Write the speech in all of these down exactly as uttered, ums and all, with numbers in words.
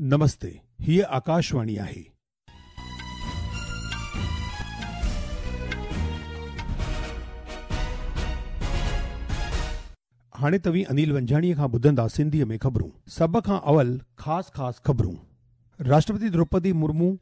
नमस्ते, हीअ आकाशवाणी आहे। हाणे तव्हीं अनिल वंजाणीअ खां ॿुधंदा सिंधीअ में ख़बरूं। सभ खां अवल ख़ासि ख़ासि ख़बरूं। राष्ट्रपति द्रौपदी मुर्मू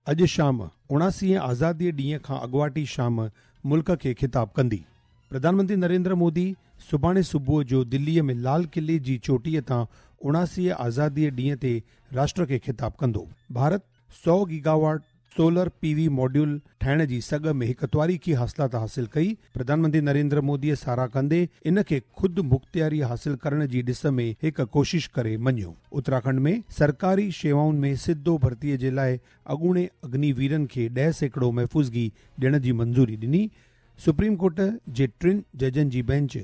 अॼु शाम उणासीअ आज़ादीअ ॾींहं खां अॻुवाटी शाम मुल्क खे ख़िताब कंदी। प्रधानमंत्री नरेंद्र मोदी सुभाणे सुबुह जो दिल्लीअ में लाल क़िले जी चोटीअ तां उणासीअ आज़ादीअ ॾींहं ते राष्ट्र खे ख़िताब कंदो। भारत सौ गीगावाट सोलर पीवी मॉड्यूल ठाहिण जी सघ में हिकु तारीख़ी हासिलात हासिल कई। प्रधानमंत्री नरेंद्र मोदीअ साराह कंदे इन खे ख़ुदि मुख़्तियारी हासिल करण जी ॾिस में हिकु कोशिश करे मञियो। उत्तराखंड में सरकारी शेवाउनि में सिधो भर्तीअ जे लाइ अॻूणे अग्निवीरनि खे ॾह सैकड़ो महफ़ूज़गी ॾियण जी मंज़ूरी ॾिनी। सुप्रीम कोर्ट जे टिनि जजनि जी बेंच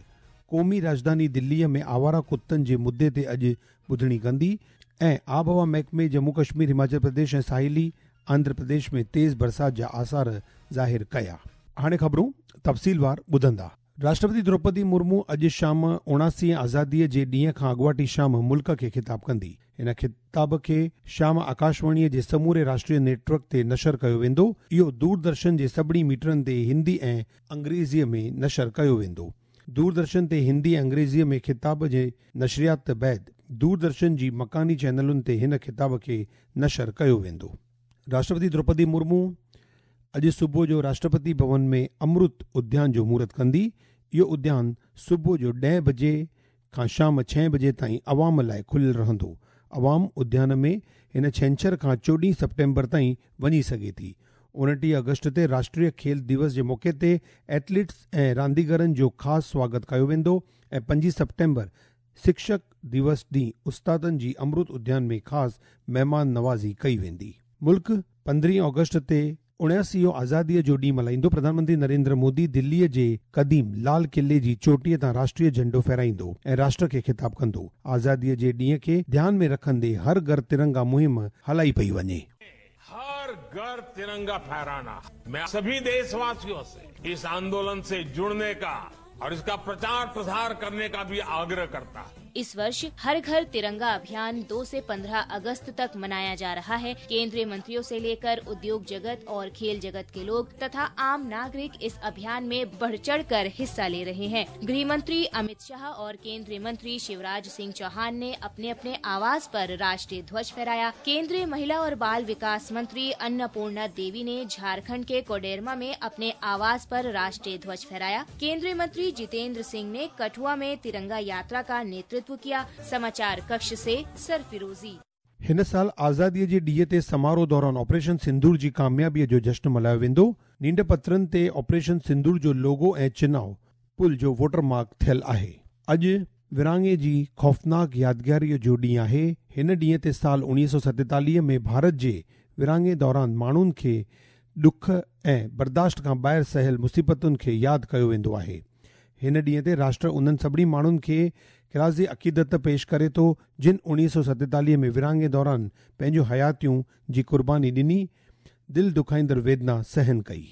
क़ौमी राजधानी दिल्लीअ में आवारा कुतनि जे मुद्दे ते अॼु ॿुधणी कंदी। ऐं आबहवा महकमे जम्मू कश्मीर, हिमाचल प्रदेश ऐं साहिली आंध्र प्रदेश में तेज़ बरसात जा आसार ज़ाहिर कया। हाणे ख़बरूं तफ़सीलवार ॿुधंदा। राष्ट्रपति द्रौपदी मुर्मू अॼु शाम उणासीअ आज़ादीअ जे ॾींहं खां अॻुवाटी शाम मुल्क खे ख़िताब कंदी। हिन ख़िताब खे शाम आकाशवाणीअ जे समूरे राष्ट्रीय नेटवर्क ते नशर कयो वेंदो। इहो दूरदर्शन जे सभिनी मीटरनि ते हिंदी ऐं अंग्रेज़ीअ में नशर कयो वेंदो। दूरदर्शन ते हिंदी ऐं अंग्रेज़ीअ में ख़िताब जे नशरियात बाद दूरदर्शन जी मकानी चैनलुनि ते हिन ख़िताब खे नशर कयो वेंदो। राष्ट्रपति द्रौपदी मुर्मू अॼु सुबुह जो राष्ट्रपति भवन में अमृत उद्यान जो मुहूर्त कंदी। इहो उद्यान सुबुह जो ॾह बजे खां शाम छह बजे ताईं अवाम लाइ खुलियल रहंदो। अवाम उद्यान में हिन छंछर खां चोॾहीं सितंबर ताईं वञी सघे थी। उणिटीह अगस्त ते राष्ट्रीय खेल दिवस जे मौक़े ते एथलीट्स ऐं रांदीगरनि जो ख़ासि स्वागत कयो वेंदो ऐं पंजी सितंबर शिक्षक दिवस ॾींहुं उस्तादनि जी अमृत उद्यान में ख़ासि महिमान नवाज़ी कई वेंदी। मुल्क पंद्रहीं अगस्त ते उणासीअ आज़ादीअ जो ॾींहुं मल्हाईंदो। प्रधानमंत्री नरेंद्र मोदी दिल्लीअ जे क़दीम लाल क़िले जी चोटीअ तां राष्ट्रीय झंडो फहराईंदो ऐं राष्ट्र खे ख़िताब कंदो। आज़ादीअ जे ॾींहं खे ध्यान में रखंदे हर घर तिरंगा मुहिम हलाई पई वञे। हर घर तिरंगा फहराना, मैं सभी देशवासियों से इस आंदोलन से जुड़ने का और इसका प्रचार प्रसार करने का भी आग्रह करता है। इस वर्ष हर घर तिरंगा अभियान दो से पंद्रह अगस्त तक मनाया जा रहा है। केंद्रीय मंत्रियों से लेकर उद्योग जगत और खेल जगत के लोग तथा आम नागरिक इस अभियान में बढ़ चढ़ कर हिस्सा ले रहे हैं। गृह मंत्री अमित शाह और केंद्रीय मंत्री शिवराज सिंह चौहान ने अपने अपने आवास पर राष्ट्रीय ध्वज फहराया। केंद्रीय महिला और बाल विकास मंत्री अन्नपूर्णा देवी ने झारखण्ड के कोडरमा में अपने आवास पर राष्ट्रीय ध्वज फहराया। केंद्रीय मंत्री जितेंद्र सिंह ने कठुआ में तिरंगा यात्रा का नेतृत्व किया। समाचार कक्ष से सरफिरोजी। हिन साल आज़ादीअ जे ॾींहं ते समारोह दौरान ऑपरेशन सिंदूर जी कामयाबीअ जो जश्न मल्हायो वेंदो। नींड पत्रनि ते ऑपरेशन सिंदूर जो लोगो ऐं चिनाव पुल जो वोटर मार्क थियल आहे। अॼु विरहाङे जी ख़ौफ़नाक यादगारीअ जो ॾींहुं आहे। हिन ॾींहं ते साल उणिवीह सौ सतेतालीह में भारत जे विरहाङे दौरान माण्हुनि खे ॾुख ऐं बर्दाश्त खां ॿाहिरि सहियल मुसीबतुनि खे यादि कयो वेंदो आहे। हिन ॾींहं ते राष्ट्र उन्हनि सभिनी माण्हुनि खे ख़िराज़ अक़ीदत पेश करे थो जिन उणिवीह सौ सतेतालीह में विरहाङे दौरान पंहिंजूं हयातियूं जी क़ुर्बानी ॾिनी, दिलि दुखाईंदड़ वेदना सहन कई।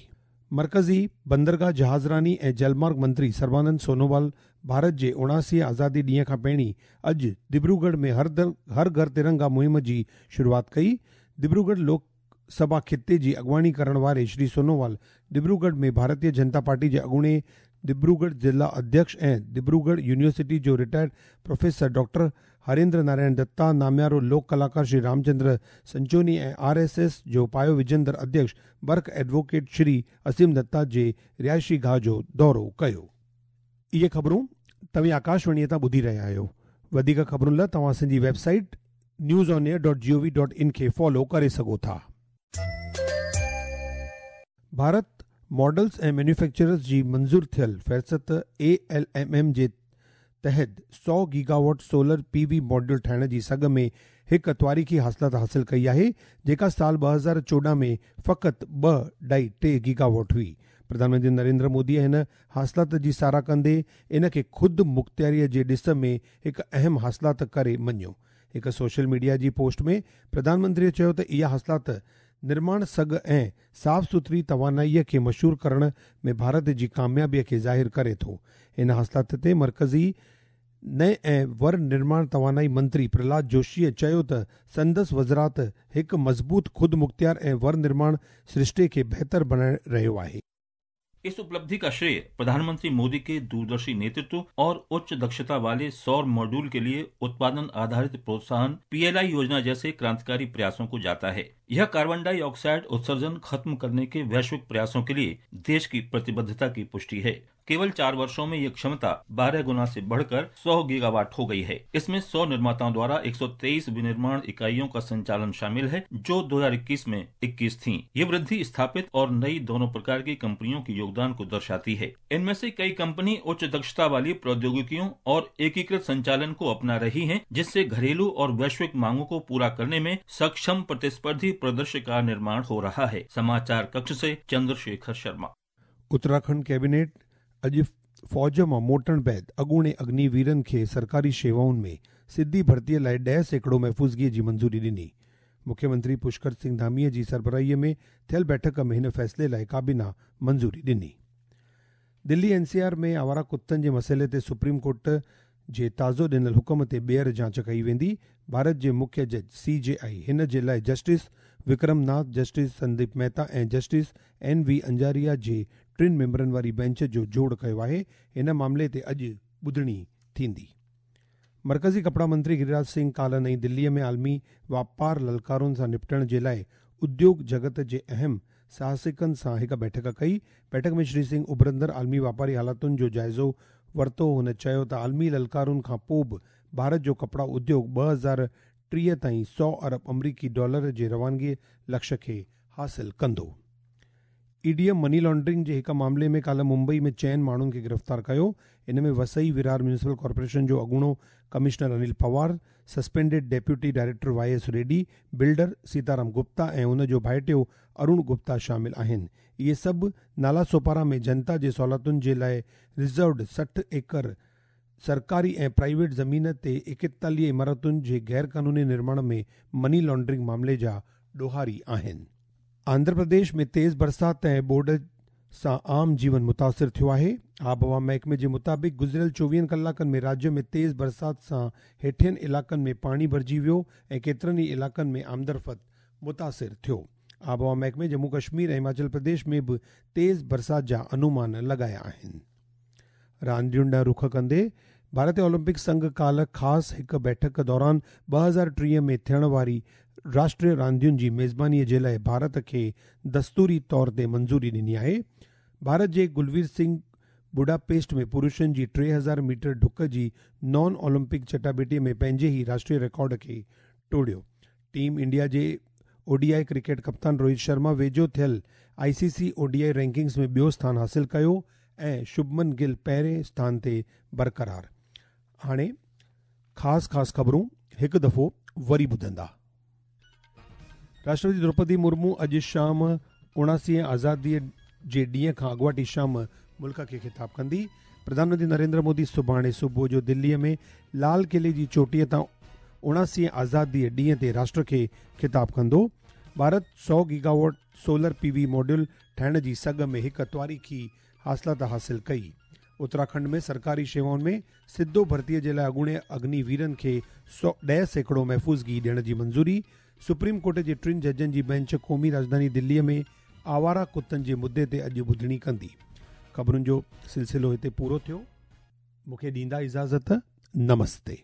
मरकज़ी बंदरगाह जहाज़रानी ऐं जलमार्ग मंत्री सर्बानंद सोनोवाल भारत जे उणासीअ आज़ादी ॾींहं खां पहिरीं अॼु दिब्रूगढ़ में हर दर हर घर तिरंगा मुहिम जी शुरूआत कई। दिब्रूगढ़ लोकसभा ख़िते जी अॻुवाणी करण वारे श्री सोनोवाल दिब्रूगढ़ में भारतीय जनता पार्टी जे अॻूणे दिब्रूगढ़ जिला अध्यक्ष ऐं दिब्रूगढ़ यूनिवर्सिटी जो retired professor doctor Harendra Narayan Datta, नामियारो लोक कलाकार श्री रामचंद्र संचोनी ऐं आर एस एस जो पायो विझंदड़ अध्यक्ष बर्क एडवोकेट श्री असीम दत्ता जे रिहाइशी गाह जो दौरो कयो। इहे ख़बरूं तव्हीं आकाशवाणीअ तां ॿुधी रहिया आहियो। वधीक ख़बरुनि लाइ तव्हां असांजी website news on air dot G O V dot in खे फॉलो करे सघो था। भारत मॉडल्स ऐं मैन्युफैक्चरर्स जी मंज़ूर थियल फ़हरिस्त ए एल एम एम जे तहत सौ गीगावाट सोलर पीवी मॉड्यूल ठाहिण जी सघ में हिकु तारीख़ी हासिलात हासिल कई आहे, जेका साल ॿ हज़ार चोॾहं में फ़क़ति ॿ ढाई टे गीगावाट हुई। प्रधानमंत्री नरेंद्र मोदीअ हिन हासिलात जी साराह कंदे इन खे ख़ुदि मुख़्तियारीअ जे ॾिस में हिकु अहम हासिलात करे मञियो। हिकु सोशल मीडिया जी पोस्ट में प्रधानमंत्रीअ चयो त इहा हासिलात निर्माण सघ ऐं साफ़ सुथरी तवानाईअ खे मशहूर करण में भारत जी कामयाबीअ खे ज़ाहिर करे थो। हिन हासिलात ते मरकज़ी नए ऐं वर निर्माण तवानाई मंत्री प्रहलाद जोशीअ चयो त संदसि वज़ारत हिकु मज़बूत ख़ुदि मुख़्तियार ऐं वर निर्माण सृष्टे खे बहितर बणाए रहियो आहे। इस उपलब्धि का श्रेय प्रधानमंत्री मोदी के दूरदर्शी नेतृत्व और उच्च दक्षता वाले सौर मॉड्यूल के लिए उत्पादन आधारित प्रोत्साहन पीएलआई योजना जैसे क्रांतिकारी प्रयासों को जाता है। यह कार्बन डाइऑक्साइड उत्सर्जन खत्म करने के वैश्विक प्रयासों के लिए देश की प्रतिबद्धता की पुष्टि है। केवल चार वर्षों में ये क्षमता बारह गुना से बढ़कर सौ गीगावाट हो गई है। इसमें सौ निर्माताओं द्वारा एक सौ तेईस विनिर्माण इकाइयों का संचालन शामिल है, जो दो हज़ार इक्कीस में इक्कीस थीं। ये वृद्धि स्थापित और नई दोनों प्रकार की कंपनियों के योगदान को दर्शाती है। इनमें से कई कंपनी उच्च दक्षता वाली प्रौद्योगिकियों और एकीकृत संचालन को अपना रही है, जिससे घरेलू और वैश्विक मांगों को पूरा करने में सक्षम प्रतिस्पर्धी परिदृश्य का निर्माण हो रहा है। समाचार कक्ष से चंद्रशेखर शर्मा। उत्तराखंड कैबिनेट अॼु फ़ौज मां मोटण बाद अॻूणे अग्निवीरनि खे सरकारी शेवाउनि में सिधी भर्तीअ लाइ ॾह सैकड़ो महफ़ूज़गीअ जी मंज़ूरी ॾिनी। मुख्यमंत्री पुष्कर सिंह धामीअ जी सरबराहीअ में थियल बैठक में हिन फ़ैसिले लाइ काबीना मंज़ूरी ॾिनी। दिल्ली एन सी आर में आवारा कुत्तनि जे मसइले ते सुप्रीम कोर्ट जे ताज़ो ॾिनल हुकम ते ॿीहर जांच कई वेंदी। भारत जे मुख्य जज सी जे आई हिन जे लाइ जस्टिस विक्रम नाथ, जस्टिस संदीप मेहता ऐं जस्टिस एन वी अंजारिया जे टिनि मेंबरनि वारी बेंच जो जोड़ कयो आहे। हिन मामले ते अॼु ॿुधणी थींदी। मरकज़ी कपड़ा मंत्री गिरिराज सिंह काल्ह नई दिल्लीअ में आलमी वापार ललकारुनि सां निपटण जे लाइ उद्योग जगत जे अहम साहसिकनि सां हिकु बैठक कई। बैठक में श्री सिंह उभरंदड़ आलमी वापारी हालातुनि जो जाइज़ो वरितो। हुन चयो त आलमी ललकारुनि खां पोइ बि भारत जो कपड़ा उद्योग ॿ हज़ार टीह ताईं सौ अरब अमरीकी डॉलर जे रवानगी लक्ष्य खे हासिल कंदो। ई डी मनी लॉन्ड्रिंग जे हिकु मामले में काल्ह मुंबई में चइनि माण्हुनि खे गिरफ़्तार कयो। इन में वसई विरार म्यूनिसिपल कॉर्पोरेशन जो अॻूणो commissioner Anil Pawar, suspended deputy director Y S Reddy, builder Sitaram Gupta ऐं उन जो भाइटियो अरुण गुप्ता शामिल आहिनि। इहे सभु नाला सोपारा में जनता जे सहूलियतुनि जे लाइ रिज़र्व्ड सठि एकड़ सरकारी ऐं प्राइवेट ज़मीन ते एकतालीह इमारतुनि जे गैर कानूनी निर्माण में मनी लॉन्ड्रिंग मामले जा ॾोहारी आहिनि। आंध्र प्रदेश में तेज़ बरसात ऐं ॿोॾ सां आम जीवन मुतासिर थियो आहे। आबहवा महकमे जे मुताबिक़ गुज़िरियल चोवीहनि कलाकनि में राज्य में तेज़ बरसात सां हेठियनि इलाइक़नि में पाणी भरिजी वियो ऐं केतिरनि ई इलाइक़नि में आमदरफ़्त मुतासिर थियो। आबहवा महकमे जम्मू कश्मीर ऐं हिमाचल प्रदेश में बि तेज़ बरसात जा अनुमान लॻाया आहिनि। रांदियुनि ॾांहुं रुख कंदे भारतीय ओलंपिक संघ काल्ह ख़ासि हिकु बैठक दौरान ॿ हज़ार टीह में थियण वारी राष्ट्रीय रांदियुनि जी मेज़बानीअ जे लाइ भारत खे दस्तूरी तौर ते मंज़ूरी ॾिनी आहे। भारत जे गुलवीर सिंह बुडापेस्ट में पुरुषनि जी टे हज़ार मीटर ढुक जी नॉन ओलंपिक चटाबेटीअ में पंहिंजे ई राष्ट्रीय रिकॉर्ड खे टोड़ियो। टीम इंडिया जे ओडीआई क्रिकेट कप्तान रोहित शर्मा वेझो थियल आईसीसी ओडीआई रैंकिंग्स में ॿियो स्थान हासिल कयो ऐं शुभमन गिल पहिरें स्थान ते बरक़रार। हाणे ख़ासि ख़ासि ख़बरूं हिकु दफ़ो वरी ॿुधंदा। राष्ट्रपति द्रौपदी मुर्मू अॼु शाम उणासीअ आज़ादीअ जे ॾींहं खां अॻुवाटी शाम मुल्क खे ख़िताब कंदी। प्रधानमंत्री नरेंद्र मोदी सुभाणे सुबुह जो दिल्लीअ में लाल क़िले जी चोटीअ तां उणासीअ आज़ादीअ ॾींहं ते राष्ट्र खे ख़िताब कंदो। भारत सौ गीगावाट सोलर पीवी मॉड्यूल ठाहिण जी सघ में हिकु तारीख़ी हासिलात हासिल कई। उत्तराखंड में सरकारी शेवाउनि में सिधो भर्तीअ जे लाइ अॻूणे अग्निवीरनि खे सौ ॾह सैकड़ो महफ़ूज़गी ॾियण जी मंज़ूरी। सुप्रीम कोर्ट जे टिनि जजनि जी बेंच क़ौमी राजधानी दिल्लीअ में आवारा कुत्तनि जे मुद्दे ते अॼु ॿुधणी कंदी। ख़बरुनि जो सिलसिलो हिते पूरो थियो। मूंखे ॾींदा इजाज़त। नमस्ते।